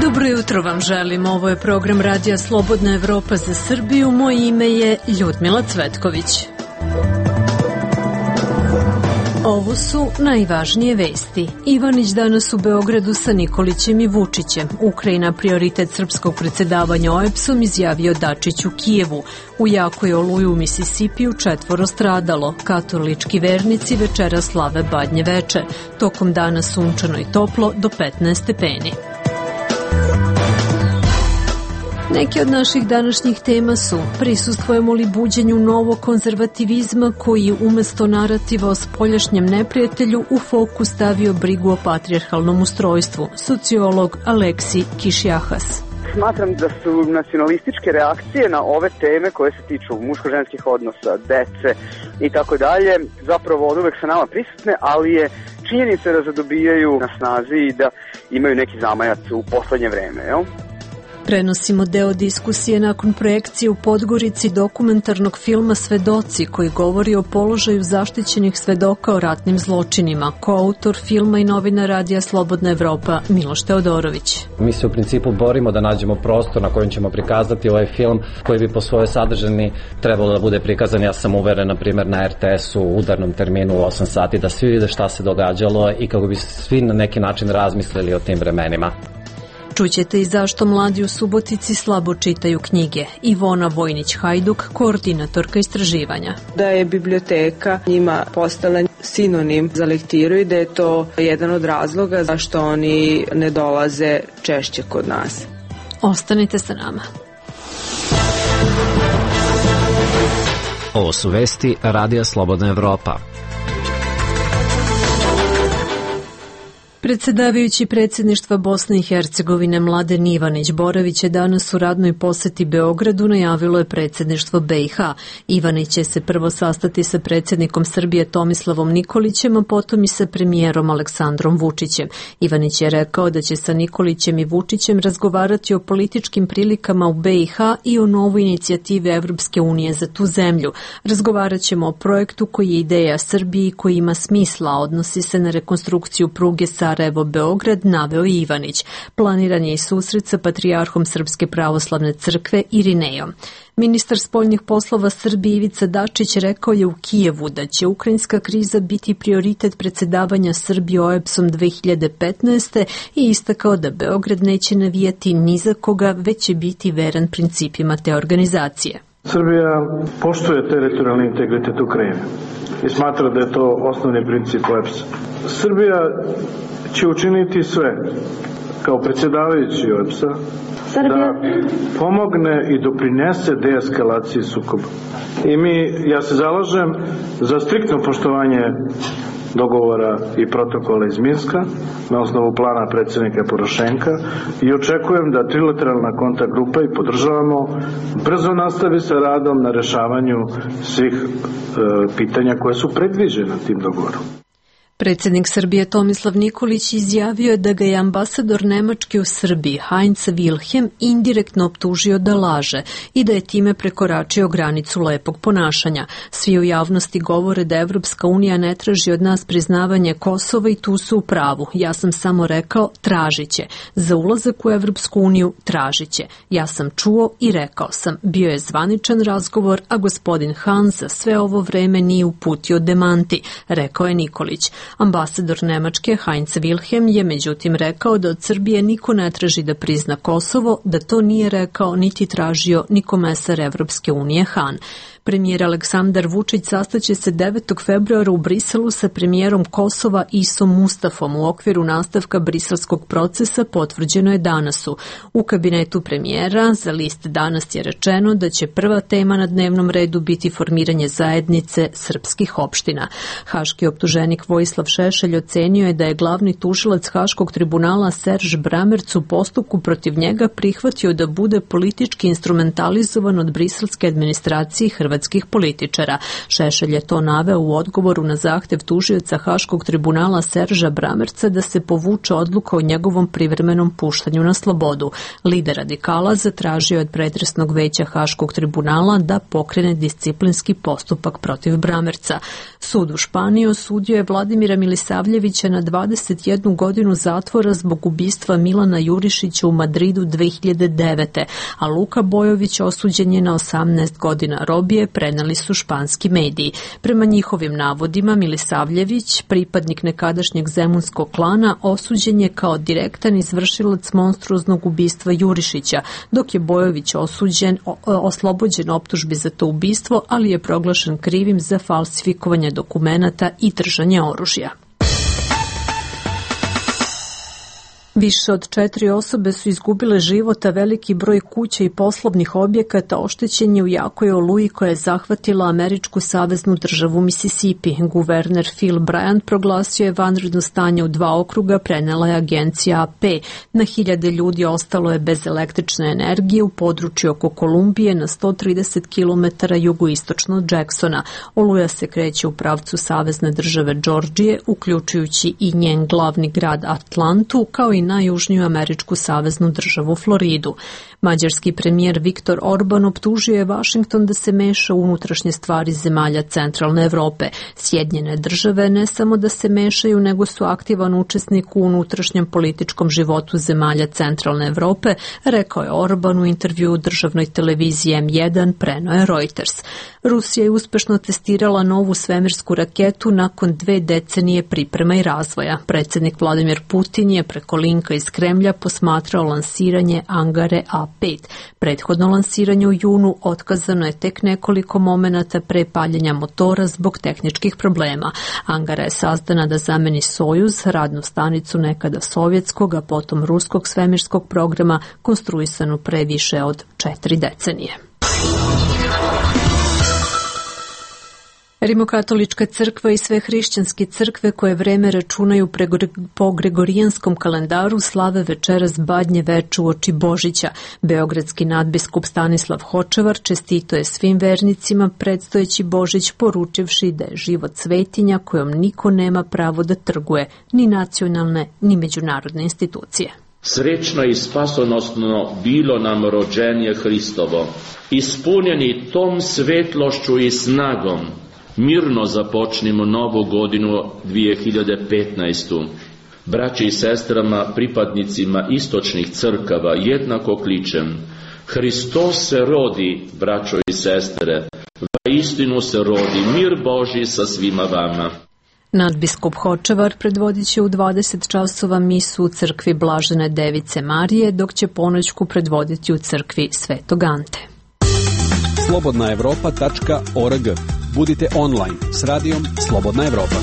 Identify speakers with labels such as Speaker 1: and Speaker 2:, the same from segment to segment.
Speaker 1: Dobro jutro vam želim. Ovo je program Radija Slobodna Evropa za Srbiju. Moje ime je Ljudmila Cvetković. Ovo su najvažnije vesti. Ivanić danas u Beogradu sa Nikolićem i Vučićem. Ukrajina prioritet srpskog predsjedavanja OEBS-om, izjavio Dačić u Kijevu. U jakoj oluji u Misisipiju 4 stradalo. Katolički vernici večera slave Badnje veče. Tokom dana sunčano i toplo do 15 stepeni. Neki od naših današnjih tema su: prisustvujemo li buđenju novog konzervativizma koji umesto narativa o spoljašnjem neprijatelju u fokus stavio brigu o patrijarhalnom ustrojstvu, sociolog Aleksi Kišjahas.
Speaker 2: Smatram da su nacionalističke reakcije na ove teme koje se tiču muško-ženskih odnosa, dece i tako dalje zapravo od uvek sa nama prisutne, ali je činjenica da zadobijaju na snazi i da imaju neki zamajac u poslednje vreme, jel?
Speaker 1: Prenosimo deo diskusije nakon projekcije u Podgorici dokumentarnog filma Svedoci, koji govori o položaju zaštićenih svedoka o ratnim zločinima. Koautor filma i novinar Radija Slobodna Evropa Miloš Teodorović.
Speaker 3: Mi se u principu borimo da nađemo prostor na kojem ćemo prikazati ovaj film koji bi po svojoj sadržini trebalo da bude prikazan. Ja sam uveren, na primjer, na RTS-u u udarnom terminu u 8 sati, da svi vide šta se događalo i kako bi svi na neki način razmislili o tim vremenima.
Speaker 1: Čućete i zašto mladi u Subotici slabo čitaju knjige. Ivona Vojnić-Hajduk, koordinatorka istraživanja.
Speaker 4: Da je biblioteka njima postala sinonim za lektiru i da je to jedan od razloga zašto oni ne dolaze češće kod nas.
Speaker 1: Ostanite sa nama.
Speaker 5: Ovo su vesti Radija Slobodna Evropa.
Speaker 1: Predsjedavajući predsjedništva Bosne i Hercegovine Mladen Ivanić Boravić je danas u radnoj poseti Beogradu, najavilo je predsjedništvo BiH. Ivanić će se prvo sastati sa predsjednikom Srbije Tomislavom Nikolićem, a potom i sa premijerom Aleksandrom Vučićem. Ivanić je rekao da će sa Nikolićem i Vučićem razgovarati o političkim prilikama u BiH i o novoj inicijativi Evropske unije za tu zemlju. Razgovarat ćemo o projektu koji je ideja Srbiji, koji ima smisla, a odnosi se na rekonstrukciju pruge Sarajevo-Beograd, naveo Ivanić. Planiran je i susret sa patrijarhom Srpske pravoslavne crkve Irinejom. Ministar spoljnih poslova Srbije Ivica Dačić rekao je u Kijevu da će ukrajinska kriza biti prioritet predsjedavanja Srbije OEBS-om 2015. i istakao da Beograd neće navijati ni za koga, već će biti veran principima te organizacije.
Speaker 6: Srbija poštuje teritorijalni integritet Ukrajine i smatra da je to osnovni princip OEBS-a. Srbija će učiniti sve kao predsjedavajući OEBS-a da pomogne i doprinese deeskalaciji sukoba. I ja se zalažem za striktno poštovanje dogovora i protokola iz Minska na osnovu plana predsjednika Porošenka i očekujem da trilateralna kontakt grupa i podržavamo brzo nastavi sa radom na rešavanju svih pitanja koje su predviđene tim dogovorom.
Speaker 1: Predsjednik Srbije Tomislav Nikolić izjavio je da ga je ambasador Nemačke u Srbiji Heinz Wilhelm indirektno optužio da laže i da je time prekoračio granicu lepog ponašanja. Svi u javnosti govore da Evropska unija ne traži od nas priznavanje Kosova i tu su u pravu. Ja sam samo rekao tražit će. Za ulazak u Evropsku uniju tražit će. Ja sam čuo i rekao sam. Bio je zvaničan razgovor, a gospodin Hahn za sve ovo vreme nije uputio demanti, rekao je Nikolić. Ambasador Nemačke Heinz Wilhelm je međutim rekao da od Srbije niko ne traži da prizna Kosovo, da to nije rekao niti tražio ni komesar Evropske unije Hahn. Premijer Aleksandar Vučić sastaće se 9. februara u Briselu sa premijerom Kosova Isom Mustafom u okviru nastavka briselskog procesa, potvrđeno je danas. U kabinetu premijera za list Danas je rečeno da će prva tema na dnevnom redu biti formiranje zajednice srpskih opština. Haški optuženik Vojislav Šešelj ocenio je da je glavni tužilac Haškog tribunala Serž Bramerc u postupku protiv njega prihvatio da bude politički instrumentalizovan od briselske administracije i hrvatske beogradskih političara. Šešelj je to naveo u odgovoru na zahtev tužioca Haškog tribunala Serža Bramerca da se povuče odluka o njegovom privremenom puštanju na slobodu. Lider radikala zatražio je od pretresnog veća Haškog tribunala da pokrene disciplinski postupak protiv Bramerca. Sud u Španiji osudio je Vladimira Milisavljevića na 21 godinu zatvora zbog ubistva Milana Jurišića u Madridu 2009. a Luka Bojović osuđen je na 18 godina robije, preneli su španski mediji. Prema njihovim navodima, Milisavljević, pripadnik nekadašnjeg zemunskog klana, osuđen je kao direktan izvršilac monstruoznog ubistva Jurišića, dok je Bojović oslobođen optužbi za to ubistvo, ali je proglašen krivim za falsifikovanje dokumenata i držanje oružja. Više od 4 osobe su izgubile život, a veliki broj kuća i poslovnih objekata oštećen je u jakoj oluji koja je zahvatila američku saveznu državu Mississippi. Guverner Phil Bryant proglasio je vanredno stanje u 2 okruga, prenela je agencija AP. Na hiljade ljudi ostalo je bez električne energije u području oko Kolumbije na 130 km jugoistočno od Jacksona. Oluja se kreće u pravcu savezne države Džordžije, uključujući i njen glavni grad Atlantu, kao i najjužniju američku saveznu državu Floridu. Mađarski premijer Viktor Orban optužio je Vašington da se meša u unutrašnje stvari zemalja centralne Evrope. Sjedinjene države ne samo da se mešaju, nego su aktivan učesnik u unutrašnjem političkom životu zemalja centralne Evrope, rekao je Orban u intervjuu državnoj televiziji M1, preneo je Reuters. Rusija je uspešno testirala novu svemirsku raketu nakon 2 decenije priprema i razvoja. Predsjednik Vladimir Putin je preko linka iz Kremlja posmatrao lansiranje Angare A5. Prethodno lansiranje u junu otkazano je tek nekoliko momenata pre paljenja motora zbog tehničkih problema. Angara je sazdana da zameni Sojuz, radnu stanicu nekada sovjetskog, a potom ruskog svemirskog programa konstruisanu pre više od 4 decenije. Rimokatolička crkva i sve hrišćanske crkve koje vreme računaju po gregorijanskom kalendaru slave večeras Badnje veče uoči Božića. Beogradski nadbiskup Stanislav Hočevar čestito je svim vernicima predstojeći Božić, poručivši da je život svetinja kojom niko nema pravo da trguje, ni nacionalne ni međunarodne institucije.
Speaker 7: Srečno i spasonosno bilo nam rođenje Hristovo, ispunjeni tom svetlošću i snagom. Mirno započnimo novu godinu 2015. Braći i sestrama, pripadnicima istočnih crkava jednako kličem: Hristos se rodi, braćo i sestre, vaistinu se rodi, mir Božji sa svima vama.
Speaker 1: Nadbiskup Hočevar predvodit će u 20 časova misu u crkvi Blažene Device Marije, dok će ponoćku predvoditi u crkvi Svetog Ante.
Speaker 8: slobodnaevropa.org. Budite online s radijom Slobodna Evropa.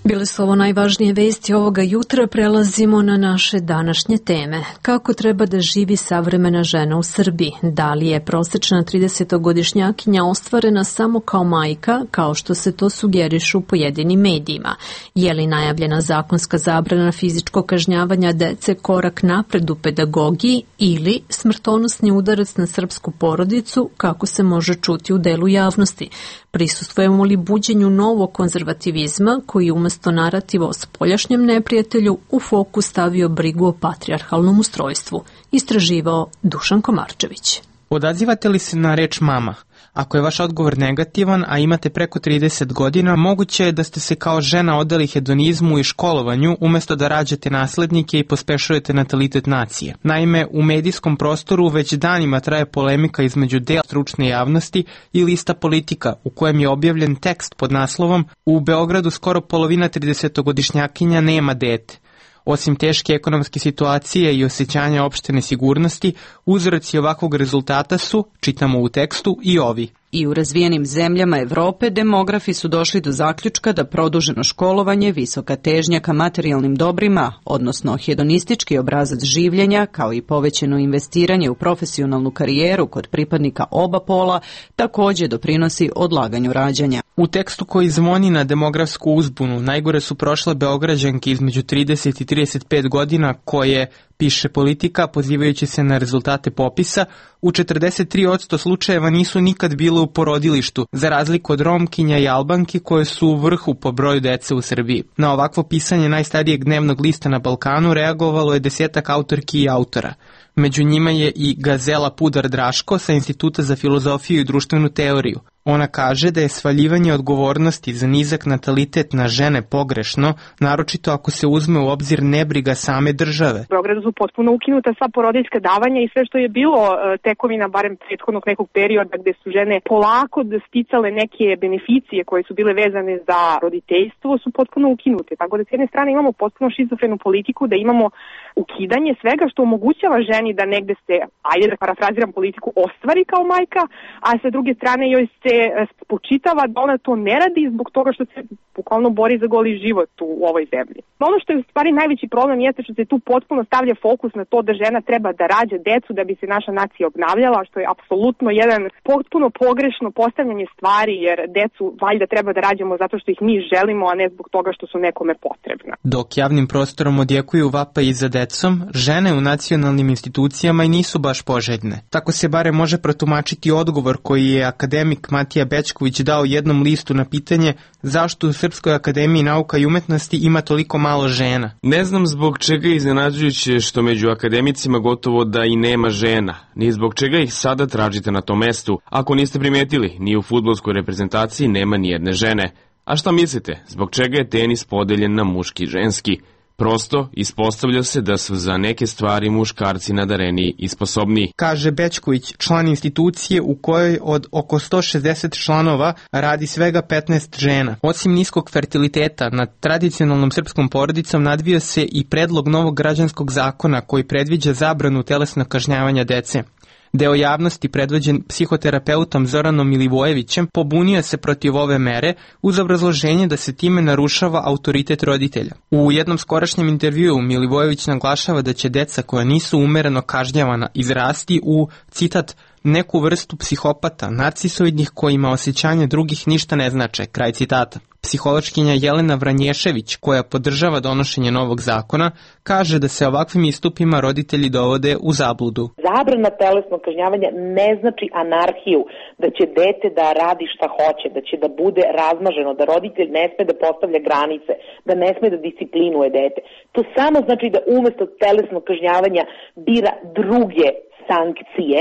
Speaker 1: Bile su ovo najvažnije vesti ovoga jutra, prelazimo na naše današnje teme. Kako treba da živi savremena žena u Srbiji? Da li je prosečna 30-godišnjakinja ostvarena samo kao majka, kao što se to sugerišu u pojedinim medijima? Je li najavljena zakonska zabrana fizičkog kažnjavanja dece korak napred u pedagogiji ili smrtonosni udarac na srpsku porodicu, kako se može čuti u delu javnosti? Prisustvujemo li buđenju novog konzervativizma koji umesto narativa o spoljašnjem neprijatelju u fokus stavio brigu o patrijarhalnom ustrojstvu? Istraživao Dušan Komarčević.
Speaker 9: Odazivate li se na reč mama? Ako je vaš odgovor negativan, a imate preko 30 godina, moguće je da ste se kao žena odali hedonizmu i školovanju umesto da rađate naslednike i pospešujete natalitet nacije. Naime, u medijskom prostoru već danima traje polemika između dela stručne javnosti i lista Politika, u kojem je objavljen tekst pod naslovom "U Beogradu skoro polovina 30-godišnjakinja nema dete". Osim teške ekonomske situacije i osjećanja opšte nesigurnosti, uzroci ovakvog rezultata su, čitamo u tekstu, i ovi.
Speaker 10: I u razvijenim zemljama Evrope demografi su došli do zaključka da produženo školovanje, visoka težnja ka materijalnim dobrima, odnosno hedonistički obrazac življenja, kao i povećeno investiranje u profesionalnu karijeru kod pripadnika oba pola, također doprinosi odlaganju rađanja.
Speaker 9: U tekstu koji zvoni na demografsku uzbunu, najgore su prošle Beograđanke između 30 i 35 godina koje, Piše Politika, pozivajući se na rezultate popisa, u 43% slučajeva nisu nikad bile u porodilištu, za razliku od Romkinja i Albanki koje su u vrhu po broju dece u Srbiji. Na ovakvo pisanje najstarijeg dnevnog lista na Balkanu reagovalo je 10 autorki i autora. Među njima je i Gazela Pudar Draško sa Instituta za filozofiju i društvenu teoriju. Ona kaže da je svaljivanje odgovornosti za nizak natalitet na žene pogrešno, naročito ako se uzme u obzir nebriga same države.
Speaker 11: U Beogradu su potpuno ukinuta sva porodiljska davanja i sve što je bilo tekovina barem prethodnog nekog perioda gde su žene polako sticale neke beneficije koje su bile vezane za roditeljstvo su potpuno ukinute. Tako da s jedne strane imamo potpuno šizofrenu politiku, da imamo ukidanje svega što omogućava ženi da negde se, ajde da parafraziram politiku, ostvari kao majka, a sa druge strane joj se spočitava da ona to ne radi zbog toga što se bukvalno bori za goli život u ovoj zemlji. Ono što je u stvari najveći problem jeste što se tu potpuno stavlja fokus na to da žena treba da rađa decu da bi se naša nacija obnavljala, što je apsolutno jedan potpuno pogrešno postavljanje stvari, jer decu valjda treba da rađamo zato što ih mi želimo, a ne zbog toga što su nekome potrebna.
Speaker 9: Dok javnim prostorom odjekuju vapaji za decom, žene u nacionalnim institucijama i nisu baš poželjne. Tako se bare može protumačiti odgovor koji je akademik Matija Bećković dao jednom listu na pitanje zašto u Srpskoj akademiji nauka i umetnosti ima toliko malo žena.
Speaker 12: Ne znam zbog čega je iznenađujuće što među akademicima gotovo da i nema žena, ni zbog čega ih sada tražite na tom mestu. Ako niste primetili, ni u fudbalskoj reprezentaciji nema ni jedne žene. A šta mislite, zbog čega je tenis podeljen na muški i ženski? Prosto, ispostavlja se da su za neke stvari muškarci nadareniji i sposobniji.
Speaker 9: Kaže Bećković, član institucije u kojoj od oko 160 članova radi svega 15 žena. Osim niskog fertiliteta, nad tradicionalnom srpskom porodicom nadvio se i predlog novog građanskog zakona koji predviđa zabranu telesnog kažnjavanja dece. Deo javnosti, predvođen psihoterapeutom Zoranom Milivojevićem, pobunio se protiv ove mere uz obrazloženje da se time narušava autoritet roditelja. U jednom skorašnjem intervjuu Milivojević naglašava da će deca koja nisu umereno kažnjavana izrasti u, citat, neku vrstu psihopata, narcisoidnih kojima osjećanje drugih ništa ne znače, kraj citata. Psihološkinja Jelena Vranješević, koja podržava donošenje novog zakona, kaže da se ovakvim istupima roditelji dovode u zabludu.
Speaker 13: Zabrana telesnog kažnjavanja ne znači anarhiju, da će dete da radi šta hoće, da će da bude razmaženo, da roditelj ne sme da postavlja granice, da ne sme da disciplinuje dete. To samo znači da umesto telesnog kažnjavanja bira druge sankcije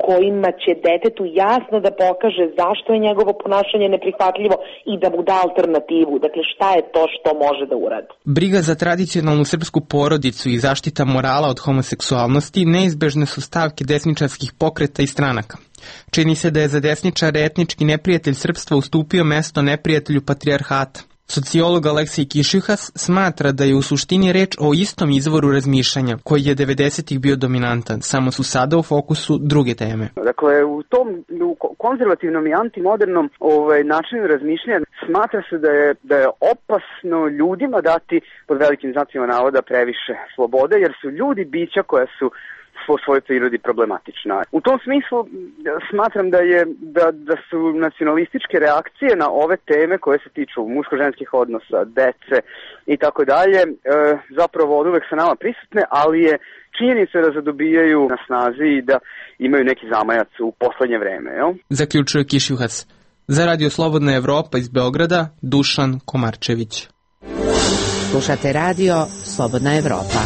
Speaker 13: kojima će detetu jasno da pokaže zašto je njegovo ponašanje neprihvatljivo i da mu da alternativu. Dakle, šta je to što može da uradi?
Speaker 9: Briga za tradicionalnu srpsku porodicu i zaštita morala od homoseksualnosti neizbežne su stavke desničarskih pokreta i stranaka. Čini se da je za desničare etnički neprijatelj srpstva ustupio mesto neprijatelju patrijarhata. Sociolog Aleksej Kišjuhas smatra da je u suštini reč o istom izvoru razmišljanja koji je 90-ih bio dominantan, samo su sada u fokusu druge teme.
Speaker 2: Dakle, u tom konzervativnom i antimodernom načinu razmišljanja smatra se da je opasno ljudima dati pod velikim znacima navoda previše slobode, jer su ljudi bića koja su po svojoj prirodi problematična. U tom smislu smatram da su nacionalističke reakcije na ove teme koje se tiču muško-ženskih odnosa, dece i tako dalje, zapravo od uvek sa nama prisutne, ali je činjenica da zadobijaju na snazi i da imaju neki zamajac u poslednje vreme. Jel?
Speaker 9: Zaključuje Kišjuhas. Za Radio Slobodna Evropa iz Beograda, Dušan Komarčević.
Speaker 14: Slušate Radio Slobodna Evropa.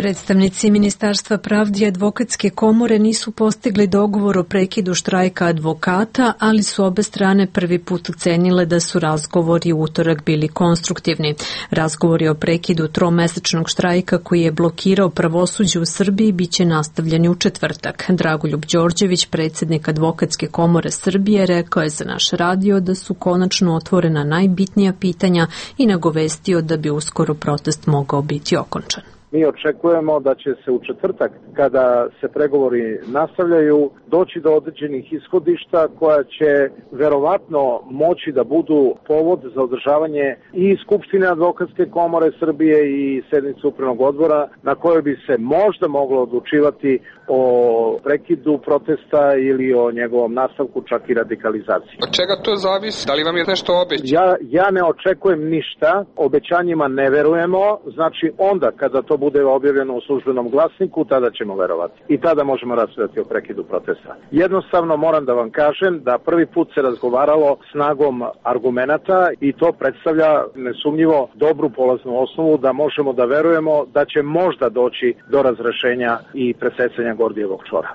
Speaker 1: Predstavnici Ministarstva pravde i advokatske komore nisu postigli dogovor o prekidu štrajka advokata, ali su obe strane prvi put ocenile da su razgovori u utorak bili konstruktivni. Razgovori o prekidu tromesečnog štrajka koji je blokirao pravosuđe u Srbiji biće nastavljeni u četvrtak. Dragoljub Đorđević, predsjednik advokatske komore Srbije, rekao je za naš radio da su konačno otvorena najbitnija pitanja i nagovestio da bi uskoro protest mogao biti okončan.
Speaker 15: Mi očekujemo da će se u četvrtak, kada se pregovori nastavljaju, doći do određenih ishodišta koja će verovatno moći da budu povod za održavanje i Skupštine Advokatske komore Srbije i sednice upravnog odbora, na kojoj bi se možda moglo odlučivati o prekidu protesta ili o njegovom nastavku, čak i radikalizaciji.
Speaker 16: Od čega to zavisi? Da li vam je nešto obećano?
Speaker 15: Ja ne očekujem ništa, obećanjima ne verujemo, znači onda kada to bude objavljeno u službenom glasniku, tada ćemo verovati. I tada možemo raspravljati o prekidu protesta. Jednostavno moram da vam kažem da prvi put se razgovaralo snagom argumenata i to predstavlja nesumnjivo dobru polaznu osnovu da možemo da verujemo da će možda doći do razrešenja i presecanja Gordijevog čvora.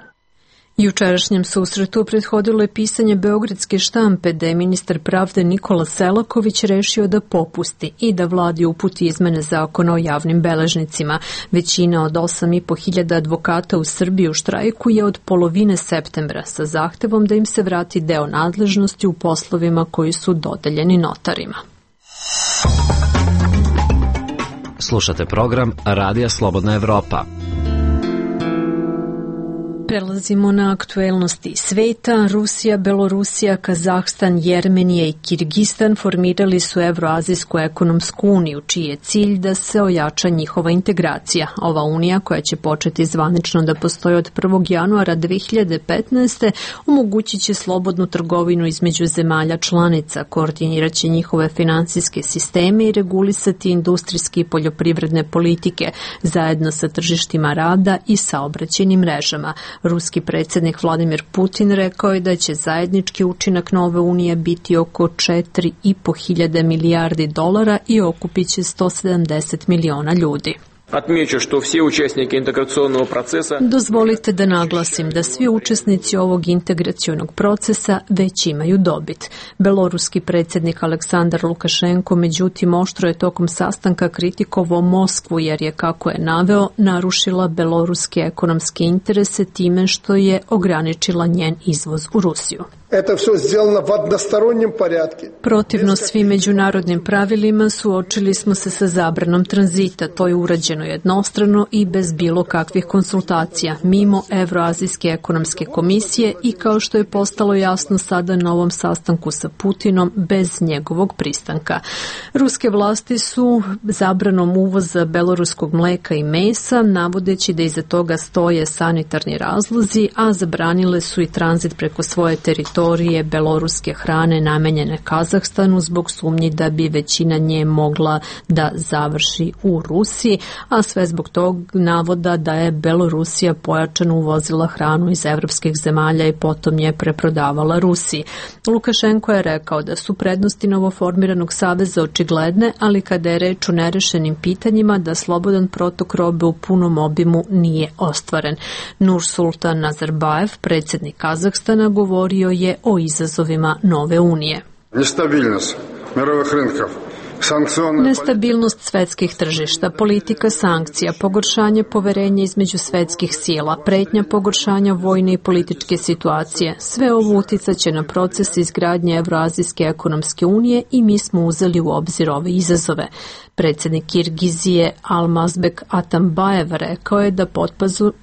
Speaker 1: Jučerašnjem susretu prethodilo je pisanje beogradske štampe da je ministar pravde Nikola Selaković rešio da popusti i da vladi uputi izmene zakona o javnim beležnicima. Većina od 8.500 advokata u Srbiji u štrajku je od polovine septembra sa zahtevom da im se vrati deo nadležnosti u poslovima koji su dodeljeni notarima.
Speaker 5: Slušate program Radija Slobodna Evropa.
Speaker 1: Prelazimo na aktuelnosti sveta. Rusija, Belorusija, Kazahstan, Jermenija i Kirgistan formirali su Evroazijsku ekonomsku uniju, čiji je cilj da se ojača njihova integracija. Ova unija, koja će početi zvanično da postoji od 1. januara 2015. omogućit će slobodnu trgovinu između zemalja članica, koordinirat će njihove finansijske sisteme i regulisati industrijske i poljoprivredne politike, zajedno sa tržištima rada i saobraćajnim mrežama. Ruski predsjednik Vladimir Putin rekao je da će zajednički učinak nove unije biti oko 4.500 milijardi dolara i okupit će 170 miliona ljudi.
Speaker 16: Отмечу, что все участники интеграционного процесса...
Speaker 1: Dozvolite da naglasim da svi učesnici ovog integracionog procesa već imaju dobit. Beloruski predsjednik Aleksandar Lukašenko međutim oštro je tokom sastanka kritikovao Moskvu jer je, kako je naveo, narušila beloruske ekonomske interese time što je ograničila njen izvoz u Rusiju. Protivno svim međunarodnim pravilima suočili smo se sa zabranom tranzita. To je urađeno jednostrano i bez bilo kakvih konsultacija, mimo Evroazijske ekonomske komisije i, kao što je postalo jasno sada na ovom sastanku sa Putinom, bez njegovog pristanka. Ruske vlasti su zabranom uvoza beloruskog mleka i mesa, navodeći da iza toga stoje sanitarni razlozi, a zabranile su i tranzit preko svoje teritorije beloruske hrane namenjene Kazahstanu zbog sumnji da bi većina nje mogla da završi u Rusiji, a sve zbog tog navoda da je Belorusija pojačano uvozila hranu iz evropskih zemalja i potom je preprodavala Rusiji. Lukašenko je rekao da su prednosti novoformiranog saveza očigledne, ali kada je reč o nerešenim pitanjima da slobodan protok robe u punom obimu nije ostvaren. Nursultan Nazarbajev, predsjednik Kazahstana, govorio je o izazovima nove unije. Nestabilnost svetskih tržišta, politika sankcija, pogoršanje poverenja između svetskih sila, pretnja pogoršanja vojne i političke situacije. Sve ovo uticaće na proces izgradnje Evroazijske ekonomske unije i mi smo uzeli u obzir ove izazove. Predsjednik Kirgizije Almazbek Atambajev rekao je da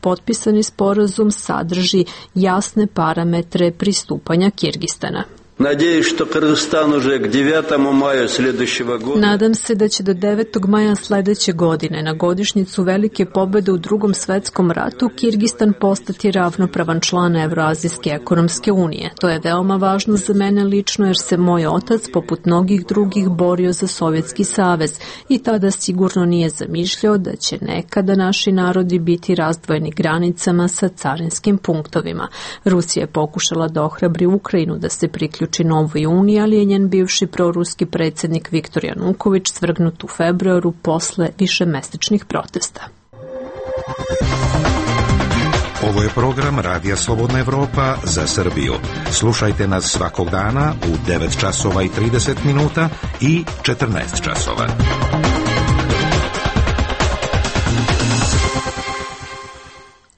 Speaker 1: potpisani sporazum sadrži jasne parametre pristupanja Kirgistana. Nadam se da će do 9. maja sljedeće godine, na godišnjicu velike pobjede u Drugom svetskom ratu, Kirgistan postati ravnopravan član Evroazijske ekonomske unije. To je veoma važno za mene lično jer se moj otac, poput mnogih drugih, borio za Sovjetski savez i tada sigurno nije zamišljao da će nekada naši narodi biti razdvojeni granicama sa carinskim punktovima. Rusija je pokušala da ohrabri Ukrajinu da se priključi Novoj uniji, ali je njen bivši proruski predsjednik Viktor Januković svrgnut u februaru posle višemesečnih protesta.
Speaker 17: Ovo je program Radija Slobodna Evropa za Srbiju. Slušajte nas svakog dana u 9 časova i 30 minuta i 14 časova.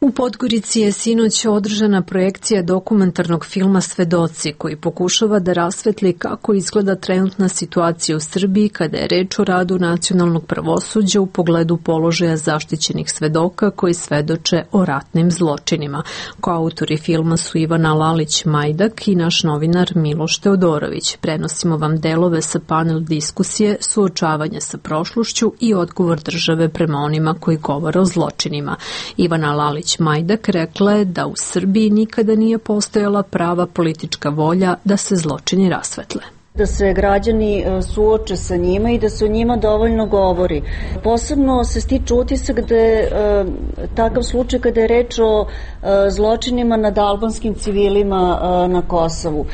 Speaker 1: U Podgorici je sinoć održana projekcija dokumentarnog filma Svedoci, koji pokušava da rasvetli kako izgleda trenutna situacija u Srbiji kada je reč o radu nacionalnog pravosuđa u pogledu položaja zaštićenih svedoka koji svedoče o ratnim zločinima. Koautori filma su Ivana Lalić-Majdak i naš novinar Miloš Teodorović. Prenosimo vam delove sa panel diskusije, suočavanja sa prošlošću i odgovor države prema onima koji govore o zločinima. Ivana Lalić-Majdak rekla je da u Srbiji nikada nije postojala prava politička volja da se zločini rasvetle.
Speaker 18: Da se građani suoče sa njima i da se o njima dovoljno govori. Posebno se stiče utisak da je takav slučaj kada je reč o zločinima nad albanskim civilima na Kosovu.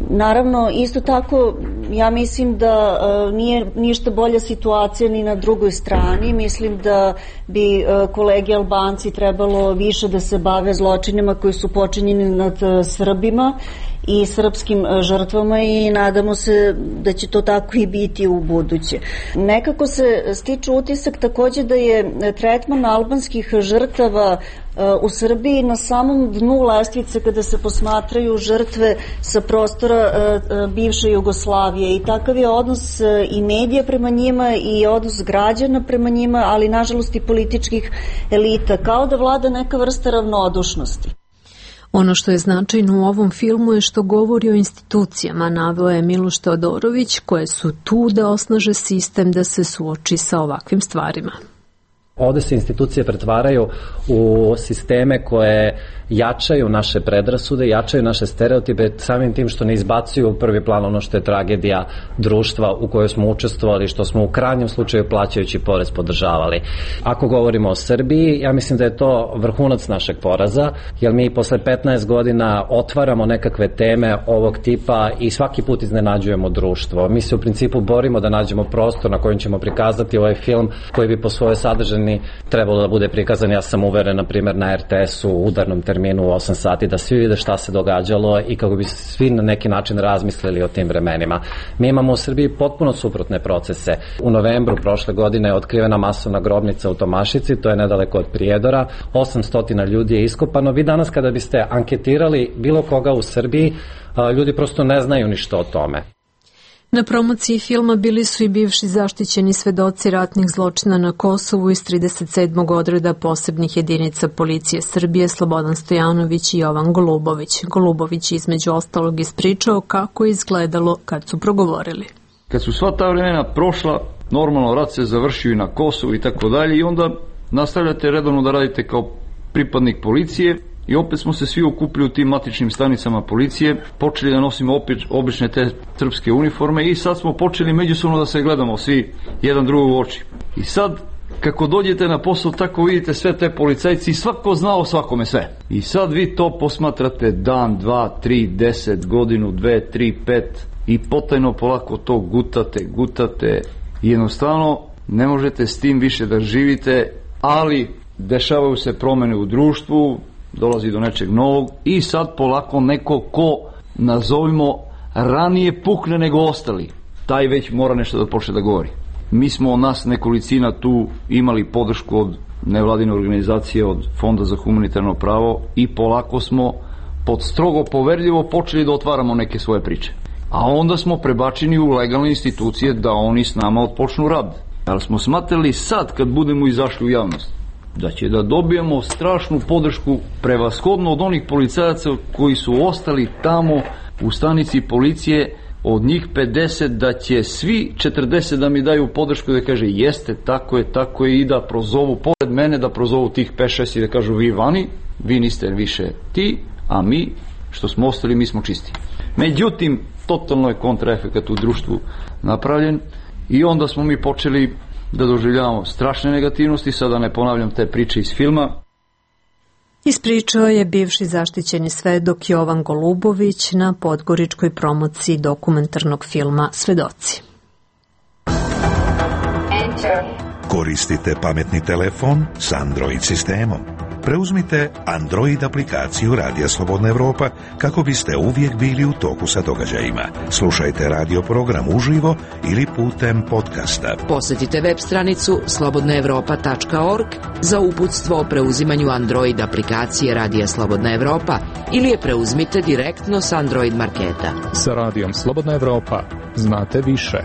Speaker 18: Naravno, isto tako, ja mislim da nije ništa bolja situacija ni na drugoj strani. Mislim da bi kolegi Albanci trebalo više da se bave zločinima koji su počinjeni nad Srbima i srpskim žrtvama i nadamo se da će to tako i biti u buduće. Nekako se stiče utisak takođe da je tretman albanskih žrtava u Srbiji na samom dnu lestvice kada se posmatraju žrtve sa prostora bivše Jugoslavije i takav je odnos i medija prema njima i odnos građana prema njima, ali nažalost i političkih elita, kao da vlada neka vrsta ravnodušnosti.
Speaker 1: Ono što je značajno u ovom filmu je što govori o institucijama, naveo je Miloš Teodorović, koje su tu da osnaže sistem da se suoči sa ovakvim stvarima.
Speaker 3: Ovde se institucije pretvaraju u sisteme koje jačaju naše predrasude, jačaju naše stereotipe samim tim što ne izbacuju u prvi plan ono što je tragedija društva u kojoj smo učestvovali, što smo u krajnjem slučaju plaćajući porez podržavali. Ako govorimo o Srbiji, ja mislim da je to vrhunac našeg poraza, jer mi posle 15 godina otvaramo nekakve teme ovog tipa i svaki put iznenađujemo društvo. Mi se u principu borimo da nađemo prostor na kojem ćemo prikazati ovaj film koji bi po svojoj sadržini trebalo da bude prikazan, ja sam uveren, na primjer, na RTS-u u udarnom terminu u 8 sati, da svi vide šta se događalo i kako bi svi na neki način razmislili o tim vremenima. Mi imamo u Srbiji potpuno suprotne procese. U novembru prošle godine je otkrivena masovna grobnica u Tomašici, to je nedaleko od Prijedora, 800 ljudi je iskopano. Vi danas kada biste anketirali bilo koga u Srbiji, ljudi prosto ne znaju ništa o tome.
Speaker 1: Na promociji filma bili su i bivši zaštićeni svedoci ratnih zločina na Kosovu iz 37. odreda posebnih jedinica policije Srbije Slobodan Stojanović i Jovan Golubović. Golubović između ostalog ispričao kako je izgledalo kad su progovorili.
Speaker 19: Kad su sva ta vremena prošla, normalno rat se završio i na Kosovu i tako dalje i onda nastavljate redovno da radite kao pripadnik policije. I opet smo se svi okupili u tim matičnim stanicama policije, počeli da nosimo opet obične te srpske uniforme i sad smo počeli međusobno da se gledamo svi jedan drugog u oči. I sad, kako dođete na posao, tako vidite sve te policajci i svako znao svakome sve. I sad vi to posmatrate dan, 2, 3, 10, godinu, 2, 3, 5 i potajno polako to gutate i jednostavno ne možete s tim više da živite, ali dešavaju se promene u društvu, dolazi do nečeg novog i sad polako neko ko, nazovimo, ranije pukne nego ostali, taj već mora nešto da počne da govori. Mi smo nas nekolicina tu imali podršku od nevladine organizacije, od Fonda za humanitarno pravo i polako smo pod strogo poverljivo počeli da otvaramo neke svoje priče. A onda smo prebačeni u legalne institucije da oni s nama otpočnu rad. Ali smo smatrali sad kad budemo izašli u javnost da će da dobijemo strašnu podršku prevashodno od onih policajaca koji su ostali tamo u stanici policije, od njih 50 da će svi 40 da mi daju podršku da kaže jeste, tako je i da prozovu pored mene, da prozovu tih 5-6 i da kažu vi vani, vi niste više ti, a mi što smo ostali mi smo čisti. Međutim, totalno je kontraefekat u društvu napravljen i onda smo mi počeli da doživljavamo strašne negativnosti, sada ne ponavljam te priče iz filma.
Speaker 1: Ispričao je bivši zaštićeni svedok Jovan Golubović na podgoričkoj promociji dokumentarnog filma Svedoci.
Speaker 17: Koristite pametni telefon s Android sistemom. Preuzmite Android aplikaciju Radija Slobodna Evropa kako biste uvijek bili u toku sa događajima. Slušajte radio program uživo ili putem podcasta.
Speaker 14: Posjetite web stranicu slobodnaevropa.org za uputstvo o preuzimanju Android aplikacije Radija Slobodna Evropa ili je preuzmite direktno s Android marketa.
Speaker 20: Sa Radijom Slobodna Evropa znate više.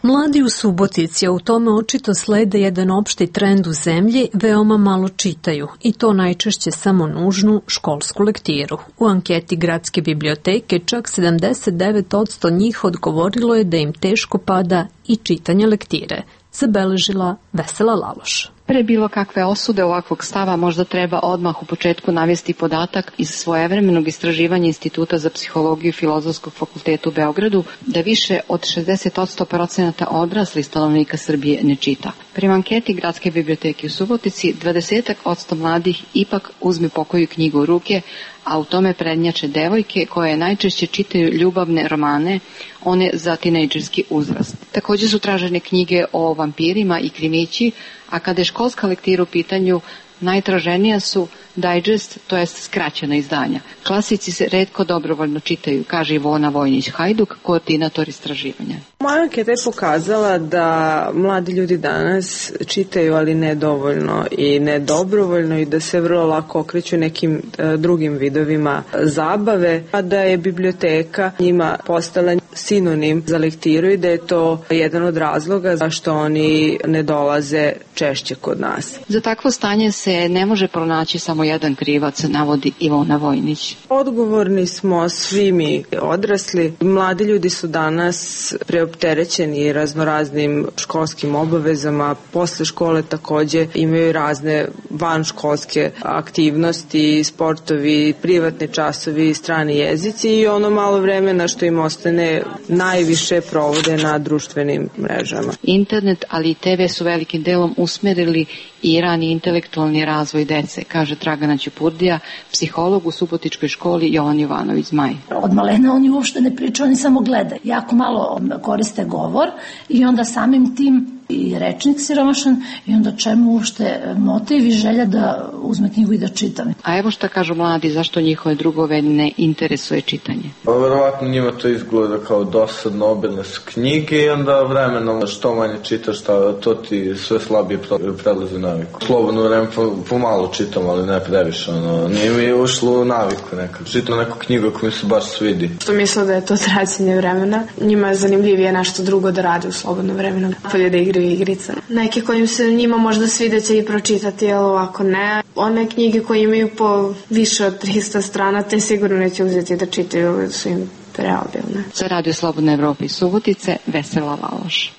Speaker 1: Mladi u Subotici, a u tome očito slede jedan opšti trend u zemlji, veoma malo čitaju i to najčešće samo nužnu školsku lektiru. U anketi Gradske biblioteke čak 79% njih odgovorilo je da im teško pada i čitanje lektire, zabeležila Vesela Laloš.
Speaker 21: Pre bilo kakve osude ovakvog stava možda treba odmah u početku navesti podatak iz svojevremenog istraživanja Instituta za psihologiju Filozofskog fakulteta u Beogradu da više od 60% odraslih stanovnika Srbije ne čita. Prema anketi Gradske biblioteke u Subotici 20% mladih ipak uzme pokoju knjigu u ruke, a u tome prednjače devojke koje najčešće čitaju ljubavne romane, one za tinejdžerski uzrast. Također su tražene knjige o vampirima i krimići, a kada je školska lektira u pitanju, najtraženija su digest, to jest skraćena izdanja. Klasici se retko dobrovoljno čitaju, kaže Ivona Vojnić-Hajduk, koordinator istraživanja.
Speaker 4: Moja anketa je pokazala da mladi ljudi danas čitaju, ali ne dovoljno i ne dobrovoljno i da se vrlo lako okreću nekim drugim vidovima zabave, a da je biblioteka njima postala sinonim za lektiru i da je to jedan od razloga zašto oni ne dolaze češće kod nas.
Speaker 21: Za takvo stanje se ne može pronaći samo jedan krivac, navodi Ivona Vojnić.
Speaker 4: Odgovorni smo svi mi odrasli. Mladi ljudi su danas preopterećeni raznoraznim školskim obavezama. Posle škole takođe imaju razne vanškolske aktivnosti, sportovi, privatni časovi, strani jezici i ono malo vremena što im ostane najviše provode na društvenim mrežama.
Speaker 21: Internet, ali i TV su velikim delom usmerili i rani intelektualni razvoj dece, kaže Dragana Ćupurdija, psiholog u Subotičkoj školi Jovan Jovanović Zmaj.
Speaker 22: Od malena oni uopšte ne pričaju, oni samo gledaju. Jako malo koriste govor i onda samim tim i rečnik siromašan i onda čemu uopšte motiv i želja da uzme knjigu i da čita.
Speaker 21: A evo šta kažu mladi, zašto njihove drugove ne interesuje čitanje?
Speaker 23: Verovatno njima to izgleda kao dosadno, obilne su knjige i onda vremenom što manje čitaš, to ti sve slabije prelazi naviku. Slobodno vreme pomalo čitam, ali ne previše. Nije mi ušlo u naviku nekad. Čitam neku knjigu ako mi se baš svidi.
Speaker 24: Što misle da je to traćenje vremena, njima je zanimljivije nešto drugo da rade u slobodno vremenu. Polje da igraju igrice. Neke kojim se njima možda svide će i pročitati, ali ovako ne. One knjige koje imaju po više od 300 strana, te sigurno neće uzeti da čitaju, su im preobilne.
Speaker 21: Za Radio Slobodna Evropa iz Subotice, Vesela Laloš.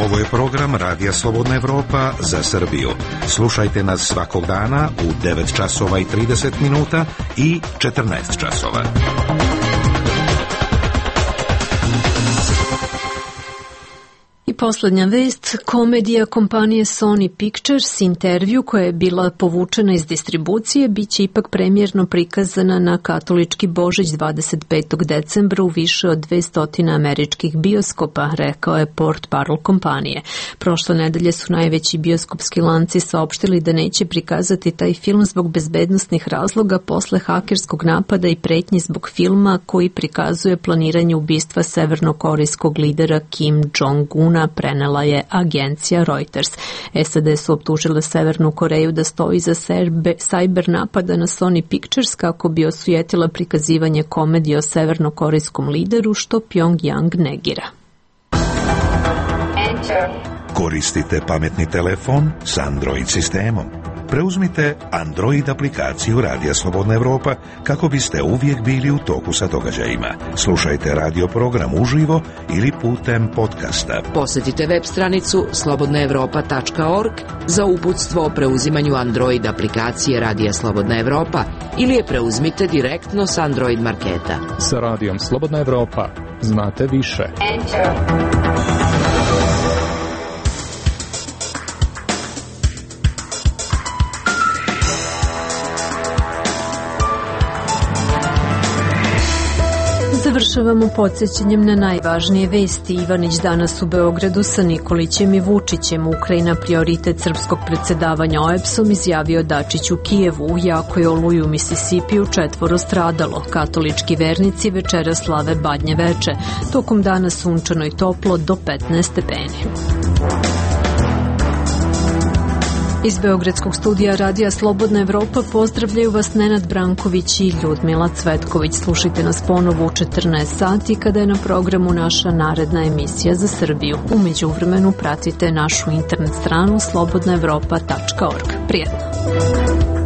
Speaker 17: Ovo je program Radija Slobodna Evropa za Srbiju. Slušajte nas svakog dana u 9 časova i 30 minuta i 14 časova.
Speaker 1: I poslednja vest, komedija kompanije Sony Pictures, intervju koja je bila povučena iz distribucije, biće ipak premijerno prikazana na katolički Božić 25. decembra u više od 200 američkih bioskopa, rekao je portparol kompanije. Prošle nedelje su najveći bioskopski lanci saopštili da neće prikazati taj film zbog bezbednosnih razloga posle hakerskog napada i pretnji zbog filma koji prikazuje planiranje ubistva severnokorejskog lidera Kim Jong-una, prenela je agencija Reuters. SAD su optužile Severnu Koreju da stoji za sajber napada na Sony Pictures kako bi osujetila prikazivanje komedije o severnokorejskom lideru, što Pyongyang negira.
Speaker 17: Koristite pametni telefon s Android sistemom. Preuzmite Android aplikaciju Radija Slobodna Evropa kako biste uvijek bili u toku sa događajima. Slušajte radio program uživo ili putem podcasta.
Speaker 14: Posjetite web stranicu slobodnaevropa.org za uputstvo o preuzimanju Android aplikacije Radija Slobodna Evropa ili je preuzmite direktno s Android marketa.
Speaker 20: Sa Radijom Slobodna Evropa znate više.
Speaker 1: Za Završavamo podsjećanjem na najvažnije vesti. Ivanić danas u Beogradu sa Nikolićem i Vučićem. Ukrajina prioritet srpskog predsedavanja OEBS-om, izjavio Dačić u Kijevu. U jakoj oluji u Misisipiju 4 stradalo. Katolički vernici večera slave Badnje veče. Tokom dana sunčano i toplo do 15 stepeni. Iz Beogradskog studija Radija Slobodna Evropa pozdravljaju vas Nenad Branković i Ljudmila Cvetković. Slušajte nas ponovo u 14 sati kada je na programu naša naredna emisija za Srbiju. U međuvremenu pratite našu internet stranu slobodnaevropa.org. Prijetno!